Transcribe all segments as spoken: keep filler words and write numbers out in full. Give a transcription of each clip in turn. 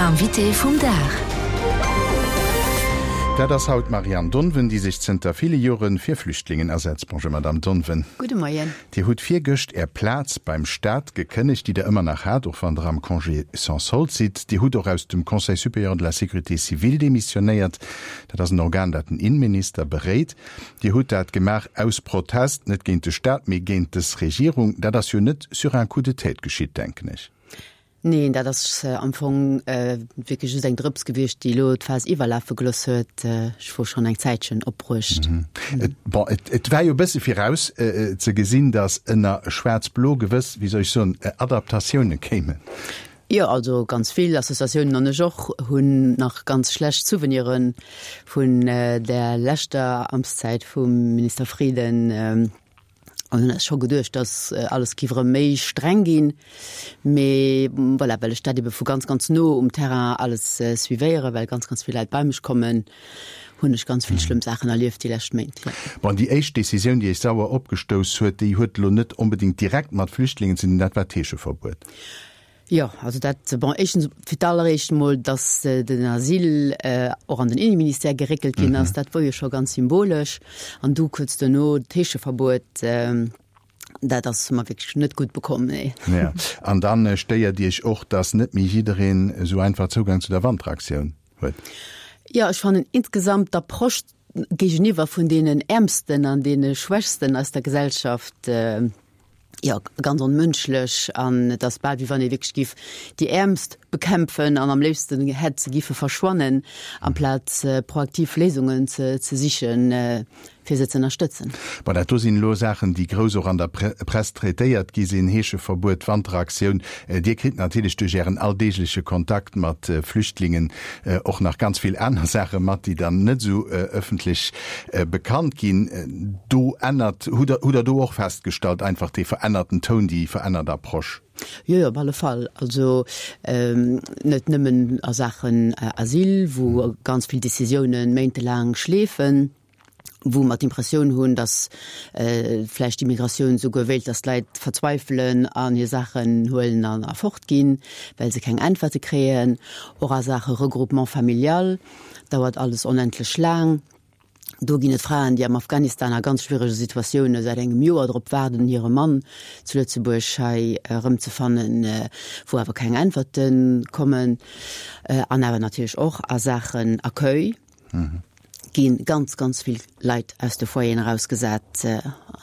Invité vum Dag. Dat ass haut d'Marianne Donven, déi sech zënter ville Joren fir Flüchtlingen asetzt. Bonjour Madame Donven. Gudde Moien. Dir hutt virgëscht Är Plaz beim Staat gekënnegt, déi Der ëmmer nach hat, och wann Der am Congé sans solde sidd. Dir hutt och aus dem Conseil supérieur de la sécurité civile demissionéiert. Dat ass en Organ, dat den Innenminister beréit. Dir hutt dat gemaach aus Protest, net géint de Staat, mee géint dës Regierung. Dat ass jo net sur un coup de tête geschitt, denken ech. Neen, dat ass am Fong wierklech just eng Drëps gewiescht, déi elo d'Faass iwwerlafe gelooss huet. Ech wor schonn eng Zäitchen opbruecht. Bon, et war jo e bësse viraus ze gesinn, datt ënner Schwaarz-Blo gewëss, wéi soll ech soen, Adaptatioune kéimen. Jo, also ganz vill Associatiounen, an ech och, hunn nach ganz schlecht Souveniren vun där leschter Amtszäit vum Minister Frieden. An hunn eis scho geduecht, dass alles giff erëm méi streng ginn. Mee voilà, well ech dat ebe vu ganz, ganz no um Terrain alles suivéieren, well ganz, ganz vill Leit bei mech kommen, hunn ech ganz vill schlëmm Saachen erlieft déi lescht Méint, jo. Bon, déi éischt Decisioun, déi Iech sauer opgestouss huet, déi huet elo net onbedéngt direkt mat Flüchtlingen ze dinn, dat war d'Heescheverbuet. Jo, also dat, bon, éischtens, fir d'alleréischt emol, datt den Asyl och an den Inneministère geréckelt ginn ass, dat wor jo scho ganz symbolesch. An du kuerz duerno d'Heescheverbuet, dat ass mer wierklech net gutt bekomm, nee. Ja, an dann stéiert Iech och, datt net méi jiddereen esou einfach Zougang zu der Wanteraktioun huet? Jo, ech fannen insgesamt d'Approche géigeniwwer vun deenen Äermsten an deene Schwächsten aus der Gesellschaft, jo, ganz onmënschlech an et ass bal wéi wann ee wierklech giff déi Äermst bekämpfen an am léifsten hätt se giffe verschwannen, amplaz proaktiv Léisungen ze ze sichen, fir se ze ënnerstëtzen. Bon, dat do sinn elo Saachen, déi grouss och an der Press traitéiert gi sinn, Heescheverbuet, Wanteraktioun. Dir kritt natierlech duerch Ären alldeegleche Kontakt mat Flüchtlingen och nach ganz vill aner Saache mat, déi dann net esou ëffentlech bekannt ginn. Do ännert, hutt Der, hutt Der do och festgestallt, einfach dee verännerten Toun, déi verännert Approche? Jo, jo, op alle Fall. Also net nëmmen a Saachen Asyl, wou ganz vill Décisiounen méintelaang schleefen, wou mer d'Impressioun hunn, datt vläicht d'Immigratioun souguer wéilt, datt d'Leit verzweifelen an hir Saachen huelen an a fortginn, well se keng Äntwerte kréien. Och a Saache Regroupement familial dauert alles onendlech laang. Do ginn et Fraen, déi am Afghanistan a ganz schwierege Situatioune säit engem Joer drop waarden, hire Mann zu Lëtzebuerg hei erëmzefannen, wou awer keng Äntwerte kommen. An awer natierlech och a Saachen Accueil gi ganz, ganz vill Leit aus de Foyeren erausgesat.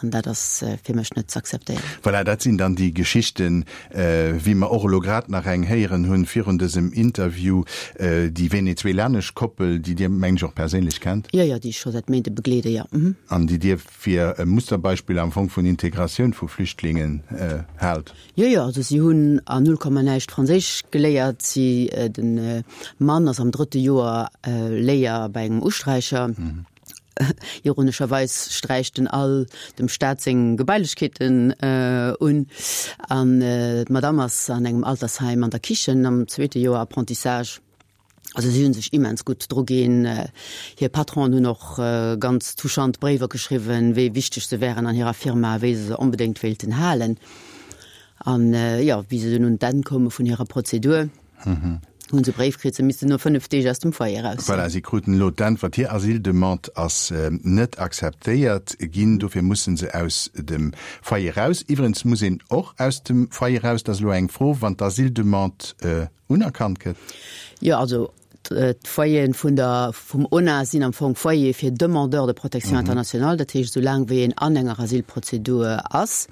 An dat ass fir mech net z'akzeptéieren. Voilà, dat sinn dann déi Geschichten, wéi mer och elo grad nach eng héieren hunn virun dësem Interview, déi venezuelanesch Koppel, déi Dir, mengen ech, och perséinlech kennt. Jo, jo, déi ech scho säit Méinte begleede, jo. An déi Dir fir e Musterbeispill am Fong vun Integratioun vu Flüchtlingen haalt. Jo, jo, also si hunn a null Komma näischt Franséisch geléiert. Si, de Mann ass am drëtte Joer Léier bei engem Usträicher. Ironescherweis sträicht en all dem Staat seng Gebailechkeeten un. An d'Madame ass an engem Altersheim an der Kichen am zweete Joer Apprentissage. Also si hu sech immens gutt dru ginn. Hir Patronen hunn och ganz touchant Bréiwer geschriwwen, wéi wichteg se wären an hirer Firma, wéi se se onbedéngt wéilten halen. An jo, wéi se dunn un d'Enn koume vun hirer Prozedur, hu se e Bréif kritt, se missten no fënnef Deeg aus dem Foyer eraus. Voilà, si kruten elo d'Äntwert, hir Asyldemande ass net akzeptéiert ginn, dofir musse se aus dem Foyer raus. Iwwregens muss een och aus dem Foyer raus, dat ass elo eng Fro, wann d'Asyldemande unerkannt gëtt. Jo, also d'Foyeren vun der, vum ONA sinn am Fong Foyere fir Demandeurs de protection internationale, dat heescht, esou laang wéi een an enger Asylprozedur ass,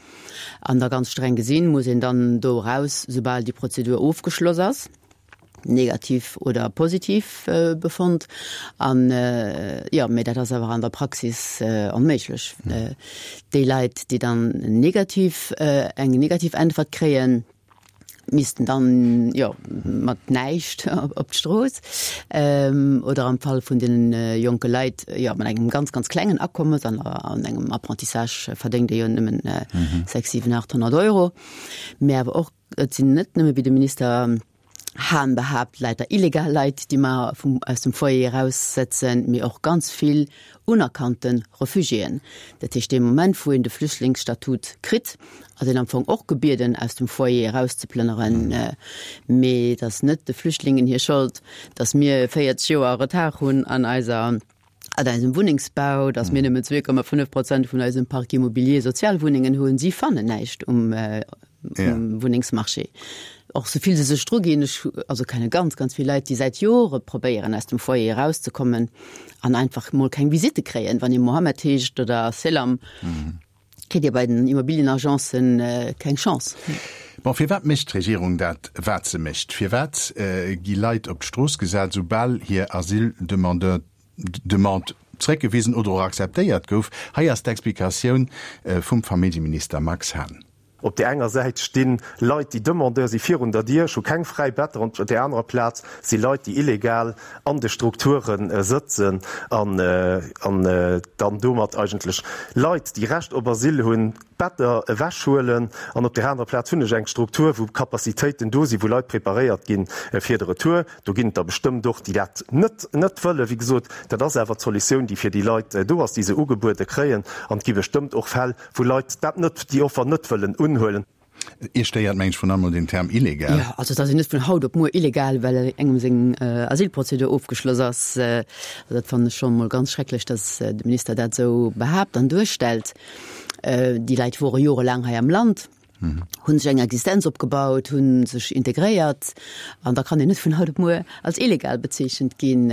an da ganz streng gesinn, muss een dann do eraus, soubal déi Prozedur ofgeschloss ass, negativ oder positiv Befund. An, jo, mee dat ass awer an der Praxis onméiglech. Déi Leit, déi dann negativ, eng negativ Äntwert kréien, missten dann, jo, mat näischt op d'Strooss, oder am Fall vun de jonke Leit, jo, mat engem ganz, ganz klengen Akommes, an an engem Apprentissage verdéngt ee jo nëmmen sechs, siwen, aacht honnert Euro. Mä awer och, et sinn net nëmme, wéi de Minister Hahn behaapt, leider illegal Leit, déi mer vum, aus dem Foyer eraussetzen, mee och ganz vill unerkannte Refugiéen. Dat heescht, dee Moment, wou een de Flüchtlingsstatut kritt, ass een am Fong och gebieden, aus dem Foyer erauszeplënneren. Mee et ass net de Flüchtlingen hir Schold, datt mir véierzeg Joer Retard hunn an eiser, an eisem Wunnengsbau, datt mir nëmmen zwee Komma fënnef Prozent vun eisem Parc immobilier Sozialwunnengen hunn. Si fannen näischt um Wunnengsmarché. Och sou vill se sech druginn, ech also kenne ganz, ganz vill Leit, déi säit Jore probéieren, aus dem Foyer erauszekommen an einfach mol keng Visitte kréien. Wann ee Mohammed heescht oder Selam, kritt Dir bei den Immobilienagencen keng Chance. Bon, firwat mécht d'Regierung dat, wat se mécht? Firwat gi Leit op d'Strooss gesat, soubal hir Asyldemandeur, Demande zréckgewisen oder och akzeptéiert gouf? Hei ass d'Explikatioun vum Familljeminister Max Hahn. Op där enger Säit sti Leit, déi Demandeur si virun der Dier, ech hu keng fräi Better, an op där anerer Plaz si Leit, déi illegal an de Strukture sëtzen an dann domat eigentlech Leit, déi Recht op Asyl hunn, d'Better ewechhuelen. An op där anerer Plaz hunn ech eng Struktur, wou Capacitéiten do sinn, wou Leit preparéiert gi fir de Retour. Do ginn et der bestëmmt och, déi dat net net wëllen. Wéi gesot, dat ass awer d'Solutioun, déi fir déi Leit do ass, déi se ugebuede kréien. An et gi bestëmmt och Fäll, wou Leit dat net, déi Offer net wëllen unhuelen. Iech stéiert, meng ech, vrun allem den Term illegal. Jo, also et ass een net vun haut op muer illegal, well engem seng Asylprozedur ofgeschloss ass. Also dat fannen ech scho mol ganz schrecklech, datt de Minister dat esou behaapt an duerstellt. Déi Leit wore jorelaang hei am Land, hu sech eng Existenz opgebaut, hu sech integréiert an da kann een net vun haut op muer als illegal bezeechent ginn.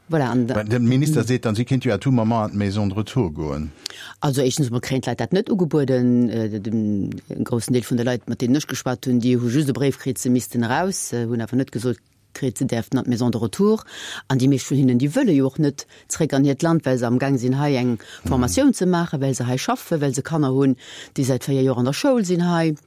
Voilà, an da. De Minister seet dann, si kéint jo à tout moment an d'Maison de retour goen. Also éischtens emol kréien d'Leit dat net ugebueden. De groussen Deel vun de Leit, mat deenen ech geschwat hunn, déi hu just e Bréif kritt, se missten eraus, hunn awer net gesot kritt, se däerften an d'Maison de retour. An déi meescht vun hinnen, déi wëlle jo och net zréck an hiert Land, well se amgaang sinn, hei eng Formatioun ze maachen, well se hei schaffen, well se Kanner hunn, déi säit véier Joer an der Schoul sinn hei.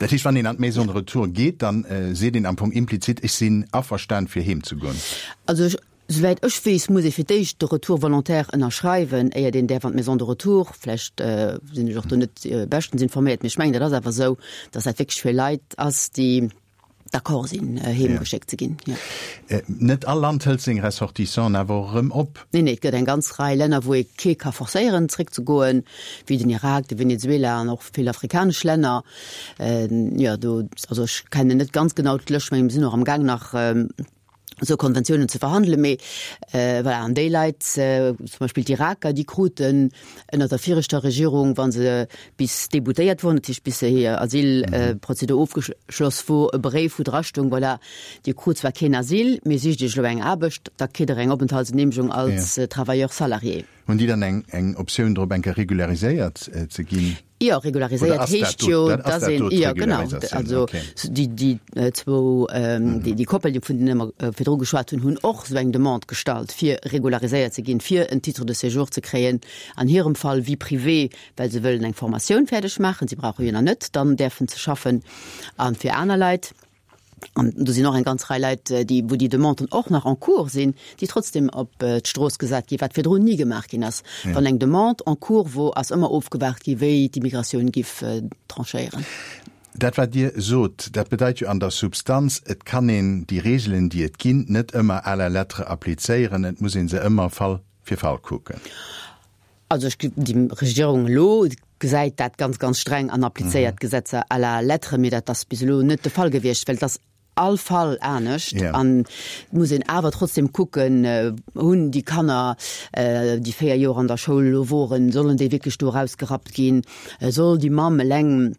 Dat heescht, wann een an d'Maison de retour geet, dann seet een am Fong implizit, ech sinn averstan fir heem ze goen. Also ech, souwäit ech weess, muss ee fir d'éischt de Retour volontaire ënnerschreiwen, éiert een däerf an d'Maison de retour. Vläicht sinn ech och do net beschtens informéiert, mee ech mengen, dat ass awer esou, datt dat wierklech fir Leit ass, déi d'accord sinn, heem geschéckt ze ginn. Jo. Net all Land hëlt seng Ressortissanten awer och erëm op. Nee, nee, et gëtt eng ganz Rei Länner, wou ee kee ka forcéieren, zréckzegoen, wéi den Irak, de Venezuela an och vill afrikanesch Länner. Jo, do, also ech kennen net ganz genau d'Lëscht, mä mir sinn och amgaang nach esou Konventiounen ze verhandelen, mee voilà, an déi Leit, zum Beispill d'Iraker, déi kruten ënner der viregter Regierung, wa se bis déboutéiert woren, dat heescht bis hir Asylprozedur ofgeschloss wor, e Bréif, wou drastoung, voilà, Dir krut zwar keen Asyl, mee sicht Iech elo eng Aarbecht, da kritt Der eng Openthaltsgenehmegung als Travailleur salarié. Hunn déi dann eng eng Optioun drop, eng Kéier regulariséiert ze ginn? Jo, regulariséiert heescht jo, dass een, jo genau, also déi déi zwou, déi déi Koppel, vun deene mer virdru geschwat hunn, hunn och esou eng Demande gestallt, fir regulariséiert ze ginn, fir en Titre de séjour ze kréien, an hirem Fall Vie privée, well se wëllen eng Formatioun fäerdeg maachen, si brauche jo nach net dann däerfen ze schaffen, a fir aner Leit. An do sinn och eng ganz Rei Leit, déi, wou déi Demanden och nach en cours sinn, déi trotzdem op d'Strooss gesat ginn, wat virdrun ni gemaach ginn ass. Wann eng Demande en cours wor, ass ëmmer ofgewaart gi wéi d'Immigratioun giff tranchéieren. Dat wat Dir sot, dat bedeit jo an der Substanz, et kann een déi Regeln, déi et ginn, net ëmmer à la lettre applizéieren, et muss ee se ëmmer Fall fir Fall kucken. Also ech, déi Regierung elo gesäit dat ganz, ganz streng an applizéiert d'Gesetzer à la lettre, mee dat ass bis elo net de Fall gewiescht, well et ass all Fall anescht an et muss een awer trotzdem kucken, hunn déi Kanner, déi véier Joer an der Schoul elo woren, sollen déi wierklech do erausgerappt ginn, soll déi Mamm eleng,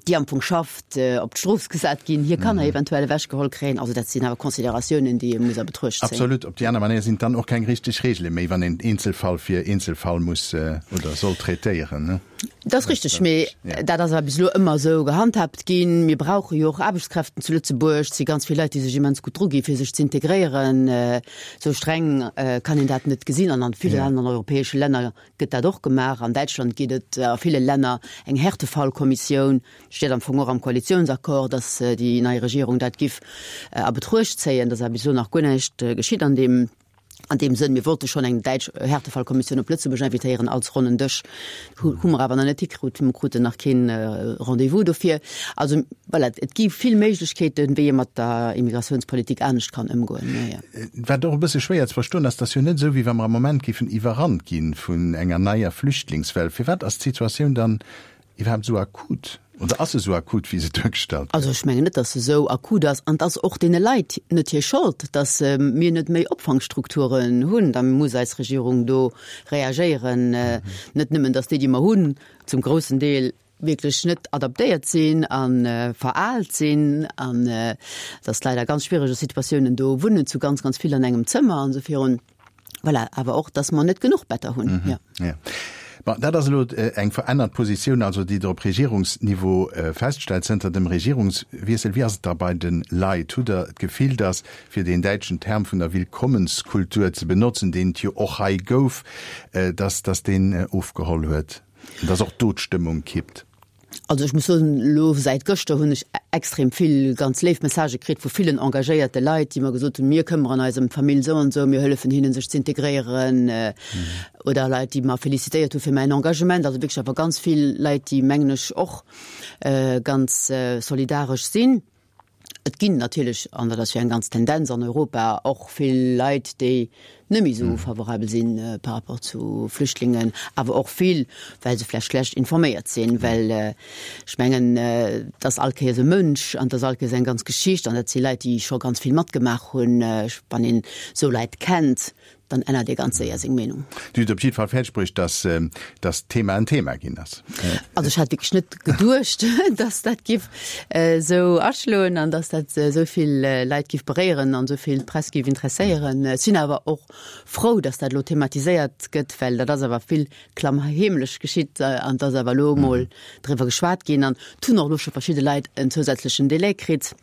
déi am Fong schafft, op d'Strooss gesat ginn, hir Kanner eventuell ewechgeholl kréien. Also dat sinn awer Consideratiounen, déi ee muss a Betruecht zéien. Absolut. Op déi aner Manéier sinn et dann och keng richteg Regele méi, wann een Eenzelfall fir Eenzelfall muss oder soll traitéieren. Dat ass richteg, mee dat ass awer bis elo ëmmer esou gehandhaabt ginn. Mir brauche jo och Aarbechtskräften zu Lëtzebuerg. Et si ganz vill Leit, déi sech immens gutt drugi fir sech ze integréieren. Esou streng kann een dat net gesinn. An an villen aneren europäesche Länner gëtt dat och gemaach. An Däitschland gétt et a ville Länner eng Härtefallkommissioun. Steet am Fong och am Koalitionsaccord, dass déi nei Regierung dat giff a Betruecht zéien. Et ass awer bis elo nach guer näischt geschitt an deem An deem Sënn, mir wollte schonn eng däitsch Härtefallkommissioun op Lëtzebuerg invitéieren als ronnen Dësch, hu hu mer awer nach net hikrut, mir kruten nach keen Rendez-vous dofir. Also voilà, et gi vill Méiglechkeeten, wéi ee mat der Immigratiounspolitik anescht kann ëmgoen, jo, jo. Wat och e bësse schwéier ze verstoen ass, et ass jo net esou, wéi wa mer am Moment géifen iwwerrannt gi vun enger neier Flüchtlingswell. Firwat ass d'Situatioun dann iwwerhaapt esou akut? Oder ass se esou akut, wéi se duergestallt gëtt? Also ech mengen net, datt se esou akut ass. An et ass och deene Leit net hir Schold, datt mir net méi Opfangstrukturen hunn. Da muss eis Regierung do reagéieren. Net nëmmen, datt déi, déi mer hunn, zum groussen Deel wierklech net adaptéiert sinn a veraalt sinn an datt d'Leit a ganz schwierege Situatiounen do wunnen, zu ganz, ganz vill an engem Zëmmer an esou virun. Voilà, awer och, dass mer net genuch Better hunn. Mhm. Ja. Ja. Bon, dat ass elo eng verännert Positioun, also déi Der op Regierungsniveau feststellt zënter dem Regierungswiessel. Wéi ass et da bei de Leit? Hutt Der d'Gefill, dass, fir deen däitschen Term vun der Willkommenskultur ze benotzen, deen et jo och hei gouf, dass, dass deen ofgeholl huet an dass och do d'Stëmmung kippt? Also ech muss soen, elo säit gëschter hunn ech extrem vill ganz léif Messagë kritt vu villen engagéierte Leit, déi mer gesot hunn, mir këmmeren eis ëm d'Famill esou an esou, mir hëllefen hinnen sech z'integréieren, oder Leit, déi mer felicitéiert hu fir mäin Engagement. Also wierklech awer ganz vill Leit, déi, mengen ech, och ganz solidaresch sinn. Et ginn natierlech, an dat ass jo eng ganz Tendenz an Europa, och vill Leit, déi net méi esou favorabel si par rapport zu Flüchtlingen, awer och vill, well se vläicht schlecht informéiert sinn. Well ech mengen, et ass all Kéiers e Mënsch an et ass all Kéiers eng ganz Geschicht an dat si Leit, déi scho ganz vill matgemaach hunn. Wann een esou Leit kennt, dann ännert ee ganz séier seng Meenung. Dir hutt op jidde Fall fäerdeg bruecht, dass dass d'Thema en Thema ginn ass. Also ech hat wierklech net geduecht, dass dat giff esou aschloen an dass dat esou vill Leit giff beréieren an esou vill d'Press giff interesséieren. Ech sinn awer och frou, dass dat elo thematiséiert gëtt, well dat ass awer vill klammheemlech geschitt an et ass awer elo emol driwwer geschwat ginn an et hunn och elo scho verschidde Leit en zousätzlechen Delai kritt.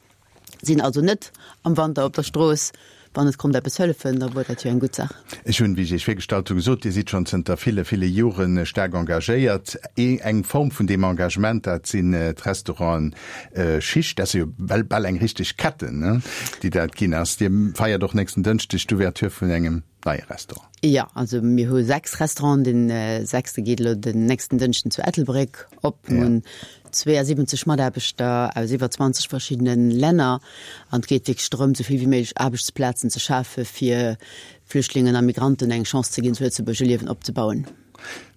Sinn also net am Wanter op der Strooss. Wann et konnt eppes hëllefen, da wor dat jo eng gutt Saach. Ech hunn, wéi ech Iech virgestallt hunn, gesot, Dir sidd schonn zënter ville, ville Jore staark engagéiert. Eng Form vun deem Engagement, dat sinn d'Restauranten Schicht. Dat ass jo bal, bal eng richteg Ketten, ne, déi dat ginn ass. Dir feiert och nächsten Dënschdeg d'Ouverture vun engem neie Restaurant. Jo, also mir hu sechs Restauranten. Dee sechste geet elo den nächsten Dënschden zu Ettelbréck op. Mir hunn zweeasiwwenzeg Mataarbechter aus iwwer zwanzeg verschiddene Länner an et geet wierklech drëm, esou vill wéi méiglech Aarbechtsplazen ze schafe fir Flüchtlingen a Migranten eng Chance ze ginn, zu Lëtzebuerg e Liewen opzebauen.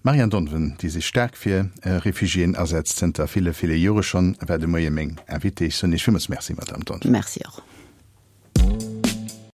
D'Marianne Donven, déi sech staark fir Refugiéen asetzt, zënter ville, ville Jore schonn, war de Moie meng Invitée. Ech soen Iech villmools Merci, Madamm Donven. Merci och.